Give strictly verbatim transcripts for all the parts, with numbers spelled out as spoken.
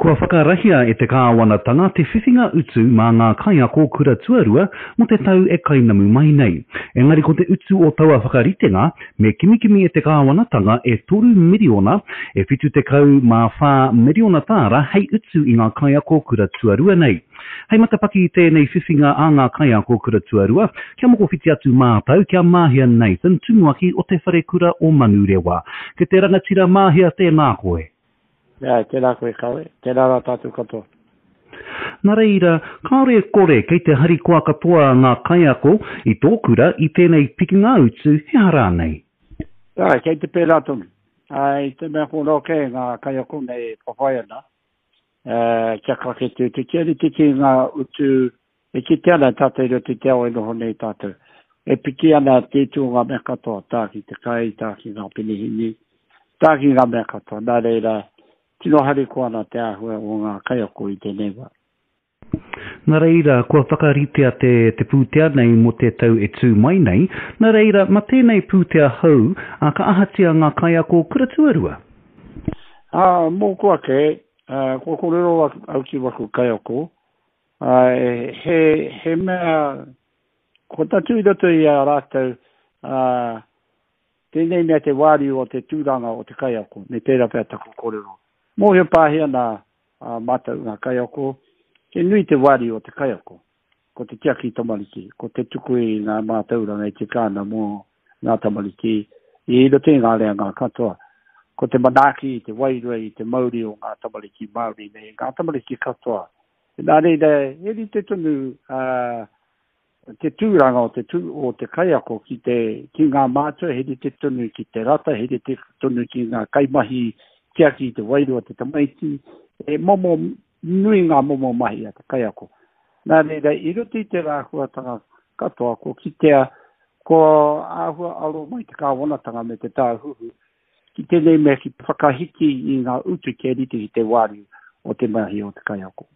Kua whakarahia e te kāwanatanga te whiwhinga utu mā ngā kaiako kura tuarua mō te tau e kainamu mai nei. Engari ko te utu o taua whakaritenga me kimikimi e te kāwanatanga e toru miriona e whitu tekau mā whā miriona tāra hei utu i ngā kaiako kura tuarua nei. Hei matapaki i tēnei whiwhinga a ngā kaiako kura tuarua, kia mokowhiti atu mātau kia Māhia Nathan, tumuaki o te Wharekura o Manurewa. Ke te rangatira Māhia, tēnā koe. Āe, tēnā koe Kawe, tēnā rā tātou katoa. Nā reira, kāore e kore kei te harikoa katoa ngā kaiako i tō kura i tēnei pikinga utu, he aha rānei? Āe, kei te pērā tonu. Āe, i te mea ko roa kē ngā kaiako nei e whawhai ana, kia kake te utu, kia rite ki ngā utu e kite ana tātou i roto i te ao e noho nei tātou. E piki ana te utu o ngā mea katoa, tā ki te kai, tā ki ngā penehīni, tā ki ngā mea katoa. Nā reira, tino harikoa ana te āhua o ngā kaiako i tēnei wā. Nā reira, kua whakaritea te, te pūtea nei mō te tau e tū mai nei. Nā reira, mā tēnei pūtea hou, ā, ka ahatia ngā kaiako kura tuarua? Ā, mōku ake, ā, kua kōrero au ki waku kaiako, ā, he, he mea, kua tatū i roto i a rātou, ā, tēnei mea te wāriu o te tūranga o te kaiako, me pērā pea taku kōrero. Mōhio pāhi ana a mātou ngā kaiako, he nui te wāriu o te kaiako, ko te tiaki tamariki, ko te tuku i ngā mātauranga e tika ana mō ngā tamariki i roto i ngā reanga katoa. Ko te manaaki i te wairua i te mauri o ngā tamariki Māori nei, ngā tamariki katoa. Nā reira, he rite tonu a te tūranga o te, tū, o te kaiako ki, te, ki ngā mātua, he rite tonu ki te rata, he rite tonu ki ngā kaimahi tiaki i te wairua o te tamaiti, e momo nui ngā momo mahi a te kaiako. Nā reira, i roto i te rāhuatanga katoa, ko kitea, ko āhua aro mai te kāwanatanga me te tāhuhu, ki tēnei mea ki te whakahiki i ngā utu kia rite ki te wāriu o te mahi o te kaiako.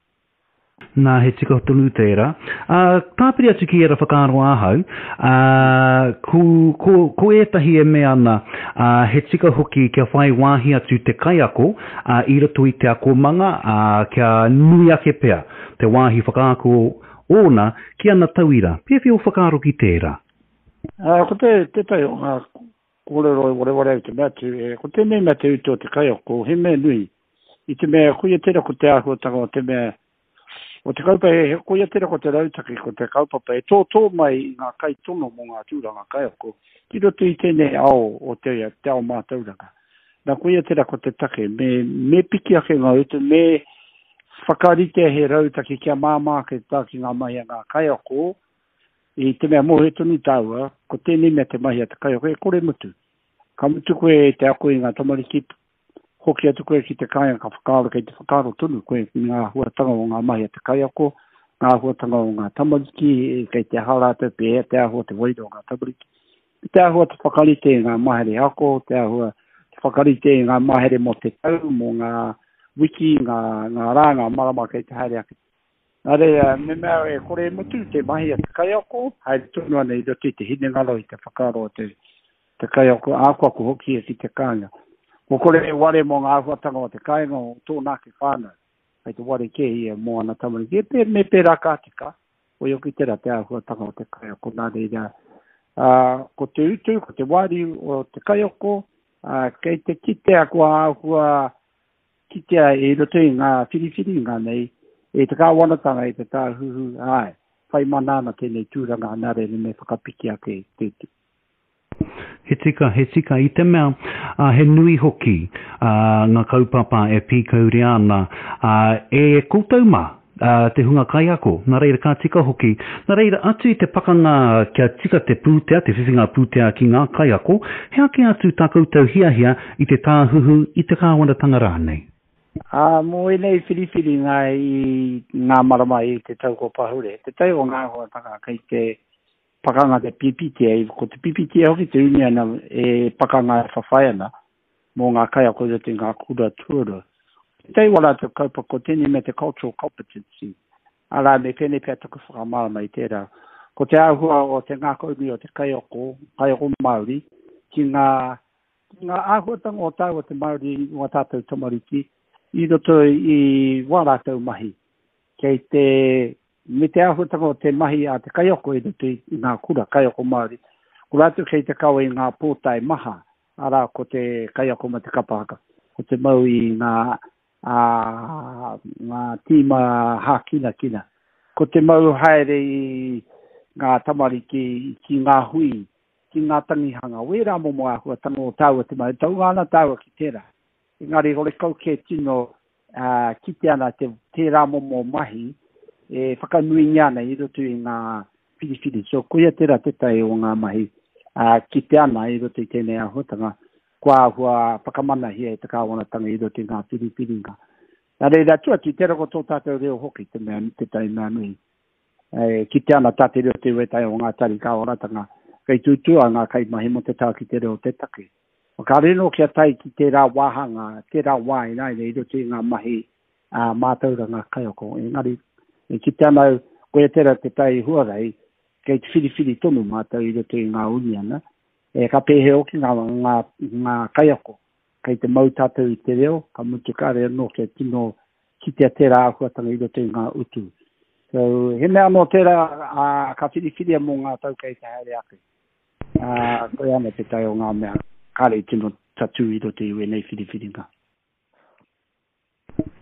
Nā, he tika tonu tērā. Ā, tāpiri atu ki ērā whakaaro ahau, ā, ko, ko, ko ētahi e mea ana, ā, he tika hoki kia whai wāhi atu te kaiako, ā, i roto i te akomanga, ā, kia nui ake pea te wāhi whakaako ōna ki ana tauira. Pēwhea ō whakaaro ki tērā? Ā, ko te, tētahi o ngā kōrero e wareware au te mea atu, e, ko tēnei mea te utu o te kaiako, he mea nui, i te mea, koia tērā ko te āhuatanga o te mea, o te kaupapa, he, koia tērā ko te rautaki, ko te kaupapa e tōtō mai i ngā kaitono mō ngā tūranga kaiako ki roto i tēnei ao o te, te ao mātauranga. Nā, koia tērā ko te take, me, me piki ake ngā utu, me whakarite he rautaki kia māmā ake tā ki ngā mahi a ngā kaiako, i te mea mōhio tonu tāua, ko tēnei mea te mahi a te kaiako, e kore mutu. Ka mutu koe te ako i ngā tamariki, hoki atu koe ki te kāinga ka whakaaro, kei te whakaaro tonu koe ki ngā āhuatanga o ngā mahi a te kaiako, ngā āhuatanga o ngā tamariki, kei te aha rātou, pēhea te āhua te wairua o ngā tamariki. Me te āhua te whakarite i ngā mahere ako, te āhua te whakarite i ngā mahere mō te tau, mō ngā wiki, ngā, ngā rā, ngā marama kei te haere ake. Nā reira, me mea e kore e mutu te mahi a te kaiako, haere tonu ana i roto i te hinengaro, i te whakaaro o te, te kaiako, akoako hoki e ki te kāinga. Kua kore e ware mō ngā āhuatanga o te kāinga o tōna ake whānau, kei te ware kē ia mō ana tamariki. E pē, me pērā ka tika, koia hoki tērā te āhuatanga o te kaiako. Nā reira, ā, ko te utu, ko te wāriu o te kaiako, ā, kei te kitea kua āhua kitea i roto i ngā whiriwhiringa nei, e te kāwanatanga, e te tāhuhu, āe, whai mana ana tēnei tūranga, nā reira me whakapiki ake te utu. He tika, he tika i te mea, ā, he nui hoki, ā, ngā kaupapa e pīkauria ana, ā, e koutou mā, ā, te hunga kaiako. Nā reira, ka tika hoki. Nā reira, atu i te pakanga kia tika te pūtea, te whiwhinga pūtea ki ngā kaiako, he ake atu tā koutou hiahia i te tāhuhu, i te kāwanatanga rānei? Ā, mō ēnei whiriwhiringa i ngā marama i te tau kua pahure, te tau o ngā āhuatanga kei te pakanga te P P T A, ko te P P T A hoki te uniana e pakanga e whawhai ana mō ngā kaiako i roto i ngā kura tuarua. Tētahi o rātou kaupapa ko tēnei mea te cultural competency, arā me pēnei pea taku whakamārama i tērā. Ko te āhua o te ngākaunui o te kaiako, kaiako Māori, ki ngā, ki ngā āhuatanga o tāua te Māori, o ā tātou tamariki, i roto i wā rātou mahi. Kei te, me te āhuatanga o te mahi a te kaiako i roto i ngā kura, kaiako Māori. Ko rātou kei te kawe i ngā pōtae maha, arā ko te kaiako ma te kapa haka, ko te mau i ngā, a, ngā tīma hākinakina. Ko te mau haere i ngā tamariki ki ngā hui, ki ngā tangihanga. Wērā momo āhuatanga o tāua te mahi, taunga ana tāua ki tērā. Engari horekau kē tino uh, kite ana te, tērā momo mahi e whakanuingia ana i roto i ngā whiriwhiri. So koia tērā tētahi o ngā mahi uh, kite ana i roto i tēnei āhuatanga, kua āhua whakamanahia e te kāwanatanga i roto i ngā whiriwhiringa. Nā reira, atu atu, tērā ko tō tātou reo hoki te mea, tētahi mea nui. E, kite ana tā te reo te wētahi o ngā tari kāwanatanga, kei tūtūa ngā kaimahi mō te tā ki te reo te take. Kāre nō kia tae ki tērā wāhanga, tērā wā ināianei i roto i ngā mahi uh, mātauranga kaiako. Engari, e kite ana au, koia tērā te tai huarahi, kei te whiriwhiri tonu mātou i roto i ngā uniana, e ka pēhea hoki ngā, ngā, ngā kaiako. Kei te mau tātou i te reo, ka mutu kāre anō kia tino kitea tērā āhuatanga i roto i ngā utu. So, he mea anō tērā uh, ka whiriwhiria mō ngā tau kei te haere ake. Uh, koia ana te tai o ngā mea, kāre i tino tatū i roto i wēnei whiriwhiringa.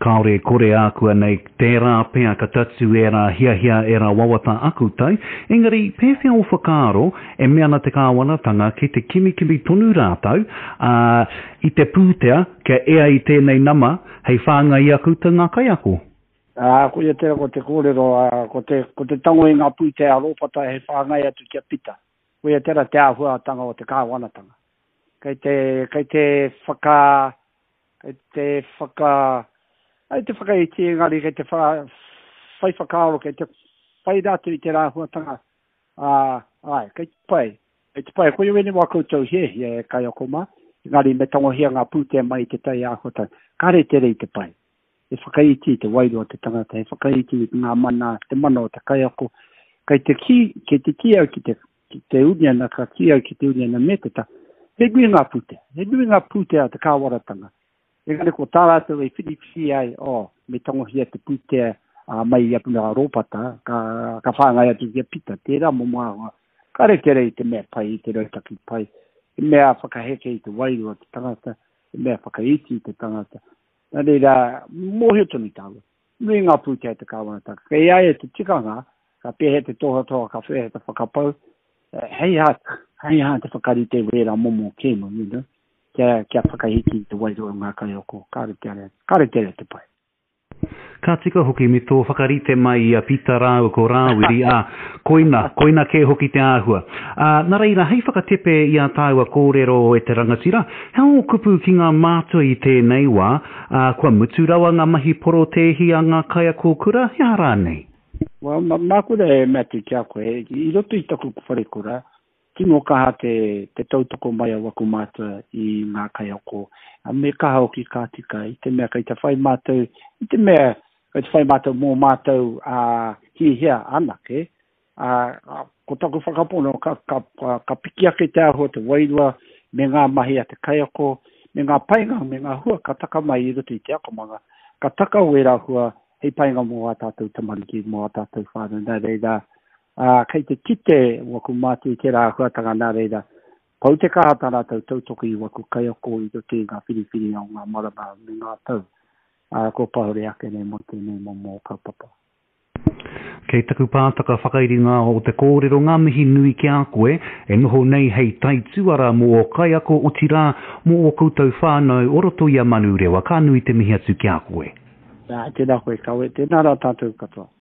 Kāore kore ākuanei tērā pea ka tatū ērā hiahia ērā wawata akutai, engari pēwhea o whakaaro e mea ana te kāwanatanga ki te kimikimi tonu rātou uh, i te pūtea kia ea i tēnei nama hei whāngai i a koutou ngā kaiako. Ā, koia tērā ko te kōrero, uh, ko te, ko te tango i ngā pūtea a Rōpata hei whāngai atu ki a Pita. Koia tērā te āhuatanga o te kāwanatanga. Kei te, kei te whaka, kei te whaka, ai te whakaiti engari kei te wha, whai whakaaro, kei te whai rātou i te rāhuatanga. Ā, ai, kei te pai. Kei te pai, koia wēnei wā koutou hiahia e kaiako mā, engari me tangohia ngā pūtea mai i te tai āhuatanga. Kāre tere i te pai. E whakaiti i te wairua o te tangata, e whakaiti i ngā mana, te mana o te kaiako. Kei te kī, kei te kī au ki te, ki te uniana, ka kī au ki te uniana me te ta. He nui ngā pūtea, he nui ngā pūtea te kāwaratanga. Engari ko tā rātou e whiriwhiri ai, oh, me tangohia te pūtea uh, mai i a Puna Rōpata, ka, ka whāngai atu ki a Pita, tērā momo āhua. Kāre tere i te mea pai, i te rautaki pai, he mea whakaheke i te wairua o te tangata, he mea whakaiti i te tangata. Nā reira, mōhio tonu tāua. Nui ngā pūtea te kāwanatanga. Kei a ia te tikanga, ka pēhea te tohatoha, ka pēhea te whakapau, hei hā, hei hā te whakarite wērā momo kēmu, you know, kia, kia whakahiki i te wairua o ngā kaiako. Kāre tere, kāre tere te pai. Ka tika hoki me tō whakarite mai i a Pita rāua ko Rāwiri, ā, koina, koina kē hoki te āhua. Ā, nā reira, hei whakatepe i a tāua kōrero e te rangatira, he ō kupu ki ngā mātua i tēnei wā, ā, kua mutu rawa ngā mahi porotēhi a ngā kaiako kura, he aha rānei? Well, ma, māku e mea atu ki a koe, i roto i taku wharekura, tino kaha te, te tautoko mai a waku mātua i ngā kaiako. Me kaha hoki ka tika, i te mea kei te whai mātou, i te mea kei te whai mātou mō mātou uh, hihia anake, uh, ko taku whakapono ka, ka, ka, ka piki ake te āhua te wairua me ngā mahi a te kaiako, me ngā painga, me ngā hua ka taka mai i roto i te akomanga, ka taka wērā hua hei painga mō ā tātou tamariki, mō ā tātou whānau. Nā reira, uh, kei te kite waku mātua i tērā āhuatanga nā reira, pau te kaha tā rātou tautoko i waku kaiako i roto i ngā whiriwhiringa o ngā marama me ngā tau. Uh, ko pahure ake nei mō tēnei momo kaupapa. Kei taku pātaka whakairinga o te kōrero ngā mihi nui ki a koe, e noho nei hei taituara mō o kaiako otirā mō o koutou whānau o roto i a Manurewa. Ka nui te mihi atu ki a koe. Ā, tēnā koe kawe, tēnā rā tātou katoa.